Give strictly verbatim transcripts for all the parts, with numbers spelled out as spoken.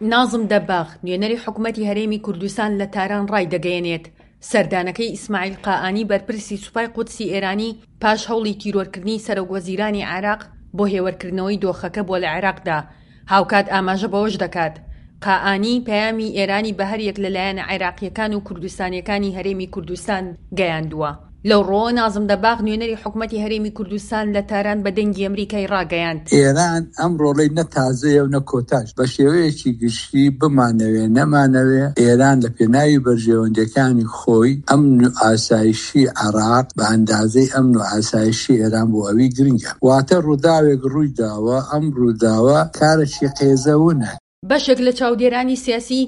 نازم دەباغ، نوێنەری حکومەتی هەرێمی کوردستان لە تاران ڕایدەگەیەنێت، سەردانەکەی ئیسماعیل قائانی بەرپرسی سوپای قودسی ئێرانی پاش هەوڵی تیرۆرکردنی سەرۆکوەزیرانی عێراق بۆ هێورکردنەوەی دۆخەکە بووە لە عێراقدا. هاوکات ئاماژە بەوەش دەکات، قائانی پەیامی ئێرانی بە هەریەک لە لایەنە عێراقییەکان و کوردستانییەکانی هەرێمی کوردستان گەیاندووە. لەو ڕووەوە نازم دەباغ نوێنەری حکومەتی هەرێمی کوردستان لە تاران بە دەنگی ئەمریکای ڕاگەیاند. ئێران ئەم ڕۆڵەی نە تازەیە و نە کۆتاش، بە شێوەیەکی گشتی بمانەوێ نەمانەوێ ئێران لە پێناوی بەرژەوەندیەکانی خۆی ئەمن و ئاسایشی عێراق بە ئەندازەی ئەمن و ئاسایشی ئێران بۆ ئەوی گرنگە. واتە ڕووداوێک ڕووی داوە، ئەم ڕووداوە کارێکی قێزەونە. بەشێک لە چاودێرانی سیاسی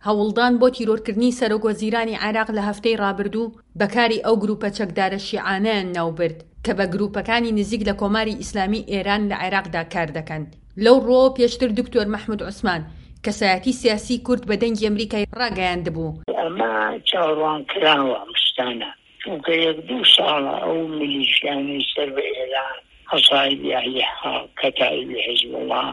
هەوڵدان بۆ تیرۆرکردنی سەرۆکوەزیرانی عێراق لە هەفتەی ڕابردوو بە کاری ئەو گروپە چەکدارە شیعانەیان ناوبرد کە بە گروپەکانی نزیک لە کۆماری ئیسلامی ئێران لە عێراقدا کار دەکەن. لەو ڕووەوە پێشتر دکتۆر مەحمود عوسمان، کەسایەتی سیاسی کورد بە دەنگی ئەمریکای ڕاگەیاندبوو، ئەمە چاوەڕوانکراوە ئەم شتانە، چونکە یەک دوو ساڵە ئەو میلیشیانەی سەر بە ئێران، عەسائیبی ئەهلی حەق، کەتائیبی حیزبوڵڵا،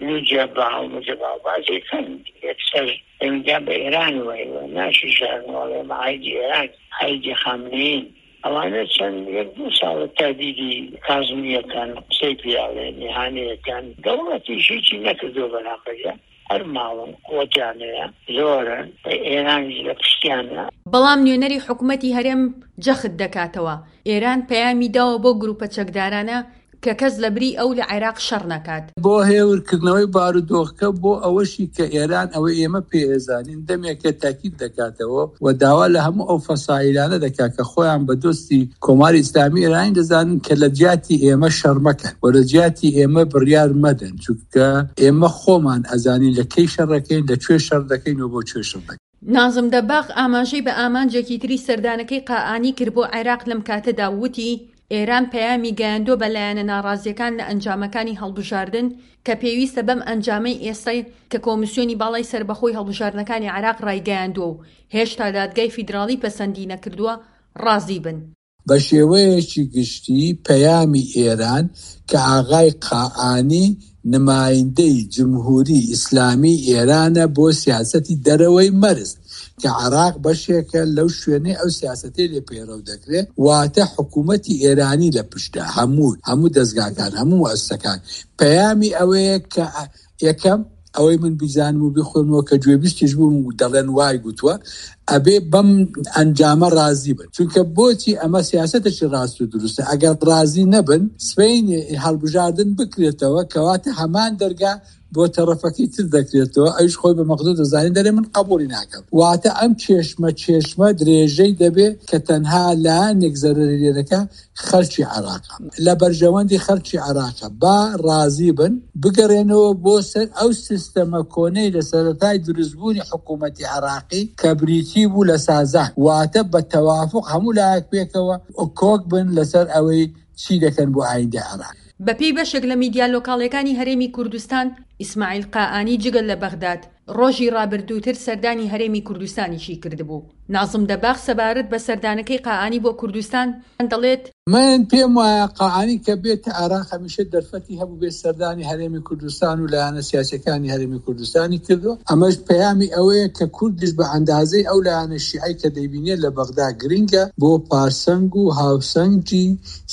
نوجەبا و مجەبا و بازێکان یەکسەر پەیوەندیان بە ئێرانەوە هەیە و ناشیشارنەوە ئەڵێ ئێمە عایدی ئێران، عایدی خامنەیین. ئەوانە چەند یەک دوو ساڵە تەهدیدی کازمییەکان، قسەی پێ ئەڵێن، ئیهانەیەکان، دەوڵەتیش هیچی نەکردووە بەرامبەریان. هەر ماڵن قوتیان هەیە زۆرن ئێرانیش لە پشتیانە. بەڵام نوێنەری حکومەتی هەرێم جەخت دەکاتەوە، ئێران پەیامی داوە بەو گروپە چەکدارانە کە کەس لەبری ئەو لە عێراق شەڕ نەکات. بۆ هێورکردنەوەی بارودۆخەکە، بۆ ئەوەشی کە ئێران ئەوەی ئێمە پێی ئەزانین دەمێکە تاکید دەکاتەوە و داوا لە هەموو ئەو فەسائیلانە دەکات کە خۆیان بە دۆستی کۆماری ئیسلامی ئێرانی دەزانن کە لە جیاتی ئێمە شەڕ مەکەن و لە جیاتی ئێمە بڕیار مەدەن، چونکە ئێمە خۆمان ئەزانین لە کەی شەڕ دەکەین، لە کوێ شەڕ دەکەین و بۆ کوێ شەڕ دەکەین. نازم دەباغ ئاماژەی بە ئامانجێکی تری سەردانەکەی قائانی کرد بۆ عێراق لەم کاتەدا و وتی، ئێران پەیامی گەیاندووە بە لایەنە ناڕازییەکان لە ئەنجامەکانی هەڵبژاردن کە پێویستە بەم ئەنجامەی ئێستای کە کۆمیسیۆنی باڵای سەربەخۆی هەڵبژاردنەکانی عێراق ڕایگەیاندووە و هێشتا دادگای فیدراڵی پەسەندی نەکردووە ڕازی بن. بە شێوەیەکی گشتی پەیامی ئێران کە ئاغای قائانی نمایندەی جمهوری ئیسلامی ئێرانە بۆ سیاسەتی دەرەوەی مەرز کە عێراق بەشێکە لەو شوێنەی ئەو سیاسەتەی لێ پەیڕەو دەکرێ، واتە حکوومەتی ئێرانی لە پشتە، هەموو هەموو دەزگاکان، هەموو موئەسسەکان، پەیامی ئەوەیە کە یەکەم ئەوەی من بیزانم و بیخوێنمەوە کە گوێبیستیش بووم و دەڵێن وای گوتووە، ئەبێ بەم ئەنجامە ڕازی بن، چونکە بۆچی ئەمە سیاسەتێکی ڕاست و دروستە، ئەگەر ڕازی نەبن سبەینێ هەڵبژاردن بکرێتەوە کەواتە هەمان دەرگا بۆ تەڕەفەکەی تر دەکرێتەوە، ئەویش خۆی بە مەقدور دەزانێت دەرێ من قبوڵی ناکەم، واتە ئەم کێشمە کێشمە درێژەی دەبێ کە تەنها لایەنێک زەرەری لێ دەکا خەڵکی عێراقە، لە بەرژەوەندی خەڵکی عێراقە با ڕازی بن بگەڕێنەوە بۆ سەر ئەو سیستەمە کۆنەی لە سەرەتای دروستبوونی حکوومەتی عێراقی کە بریتی بوو لە سازان، واتە بە تەوافوق هەموو لایەک پێکەوە کۆک بن لەسەر ئەوەی چی دەکەن بۆ ئایندەی عێراق. بەپێی بەشێک لە میدیا لۆکاڵیەکانی هەرێمی کوردستان، ئیسماعیل قائانی جگە لە بەغداد، ڕۆژی ڕابردووتر سەردانی هەرێمی کوردستانیشی کردبوو. نازم دەباغ سەبارەت بە سەردانەکەی قائانی بۆ کوردستان دەڵێت، من پێم وایە قائانی کە بێتە عێراق هەمیشە دەرفەتی هەبوو بێت سەردانی هەرێمی کوردستان و لایەنە سیاسیەکانی هەرێمی کوردستانی کردووە، ئەمەش پەیامی ئەوەیە کە کوردیش بە ئەندازەی ئەو لایەنە شیعەی کە دەیبینێت لە بەغدا گرنگە بۆ پارسەنگ و هاوسەنگی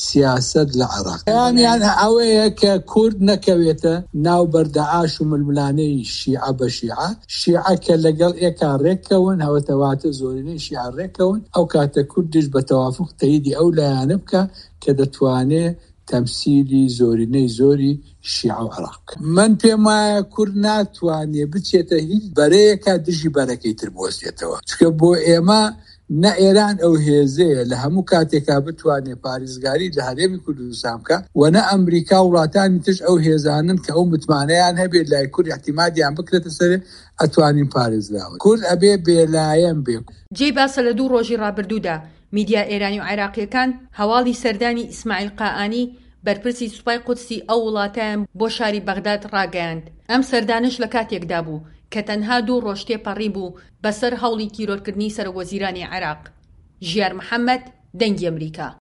سیاسەت لە عێراق. پەیامیان ئەوەیە کە کورد نەکەوێتە ناو بەردەعاش و ململانێی شیعە بە شیعە، شیعە کە لەگەڵ ئێکا ڕێککەون، هەوەتەواتە زۆرینەی شیعە ڕێککەون، ئەو کاتە کوردیش بە تەوافوق تەییدی ئەو لایەنە بکا کە دەتوانێ تەمسیلی زۆرینەی زۆری شیعە و عێراق بکا. من پێم وایە کورد ناتوانێ بچێتە هیچ بەرەیەکا دژی بەرەکەی تر بوەستێتەوە، چونکە بۆ ئێمە نە ئێران ئەو هێزەیە لە هەموو کاتێکا بتوانێ پارێزگاری لە هەرێمی کوردستان بکا و نە ئەمریکا و وڵاتانی ترش ئەو هێزانەن کە ئەو متمانەیان هەبێت لای کورد ئیعتیمادیان بکرێتە سەرێ ئەتوانین پارێزراون. کورد ئەبێ بێلایەن بێ. جێی باسە لە دوو ڕۆژی ڕابردوودا میدیا ئێرانی و عێراقییەکان هەواڵی سەردانی ئیسماعیل قائانی بەرپرسی سوپای قودسی ئەو وڵاتەیان بۆ شاری بەغداد ڕاگەیاند. ئەم سەردانەش لە کاتێکدا بوو کە تەنها دوو ڕۆژ تێپەڕیبوو بەسەر هەوڵی تیرۆرکردنی سەرۆکوەزیرانی عێراق. ژیار محەمەد، دەنگی ئەمریکا.